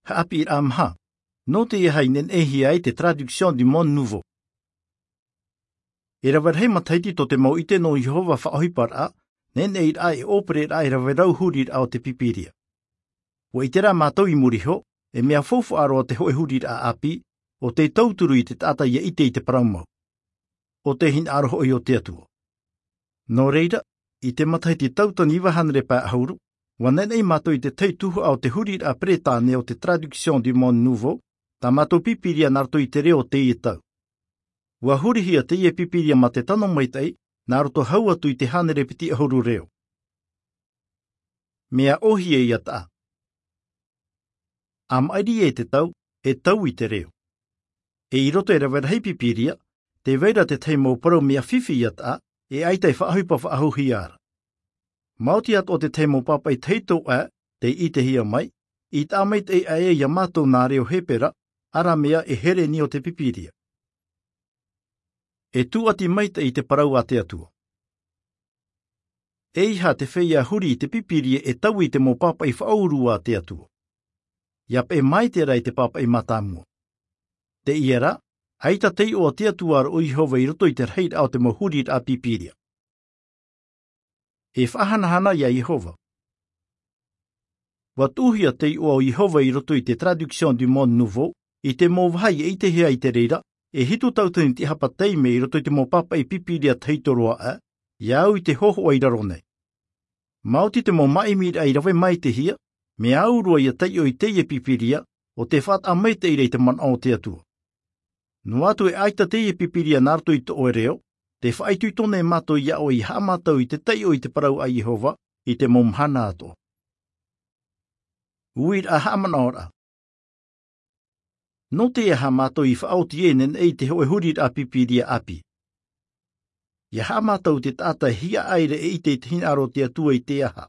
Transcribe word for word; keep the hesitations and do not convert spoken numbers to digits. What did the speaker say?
haʻapiʻiraʻa maha, nō te aha i neneʻihia ai te Traduction du Monde Nouveau. E rave rahi matahiti tō te mau ʻite nō Iehova faʻaʻohiparaʻa, neneʻiraʻa e ʻōpereraʻa e rave rau huriraʻa o te Pīpīria. ʻUa ʻite rā mātou i muri iho, e mea faufaʻa roa te hōʻē huriraʻa ʻāpī, ʻo tei tauturu i te taʻata ʻia ʻite i te parau mau. ʻO te hinaʻaro hoʻi o te Atua. Nō reira, i te matahiti tauatini iva hānere pae ʻahuru, ʻua neneʻi mātou i te tahi tuhaʻa o te huriraʻa Peretāne o te Traduction du Monde Nouveau, tā mātou Pīpīria nā roto i te reo o teie tau. ʻUa hurihia teie Pīpīria mā te tano maitaʻi, nā roto hau atu i te hānere piti ʻahuru reo. Mea ʻōhie ʻia taʻa. ʻA maʻiri e te tau, e taui te reo. E i roto e rave rahi Pīpīria, tē vai ra te tahi mau parau mea fifi ʻia taʻa, e ʻaita e faʻaʻohipa faʻahouhia ra. Maoti atoʻa te tahi mau pāpaʻi tahito ʻē, tei ʻitehia mai, i taʻa maitaʻi aʻe ʻia mātou nā reo Hepera, Aramea e Hereni o te Pīpīria. E tūʻati maitaʻi i te parau a te Atua. E aha te feiā huri i te Pīpīria e taui i te mau pāpaʻi faʻaurua a te Atua? ʻIa peʻe maite rā i te pāpaʻi mātāmua. Teie rā, ʻaita tei iʻoa te Atua ra ʻo Iehova i roto i te rahiraʻa o te mau huriraʻa Pīpīria. E faʻahanahana ia Iehova. ʻUa tuʻuhia te iʻoa o Iehova i roto i te Traduction du Monde Nouveau, i te mau vāhi e ʻitehia ai te reira, e hitu tauatini tiʻahapa taime i roto i te mau pāpaʻi Pīpīria tahito roa ʻē, ʻia au i te hōhoʻa i raro nei. Maoti te mau māʻimiraʻa i rave maitaʻihia, mea au roa ʻia taiʻo i teie Pīpīria, ʻo tē faʻataʻa maitaʻi ra i te manaʻo o te Atua. Noa atu e ʻaita teie Pīpīria nā roto i tō ʻoe reo, tē faʻaitoito nei mātou ia ʻoe ʻia haʻamātau i te taiʻo i te parau a Iehova, i te mau mahana atoʻa. Uiraʻa haʻamanaʻoraʻa. Nō te aha mātou i faʻaoti e neneʻi i te hōʻē huriraʻa Pīpīria ʻāpī? ʻIa haʻamātau te taʻata e hiaʻai ra e ʻite i te hinaʻaro o te Atua i te aha?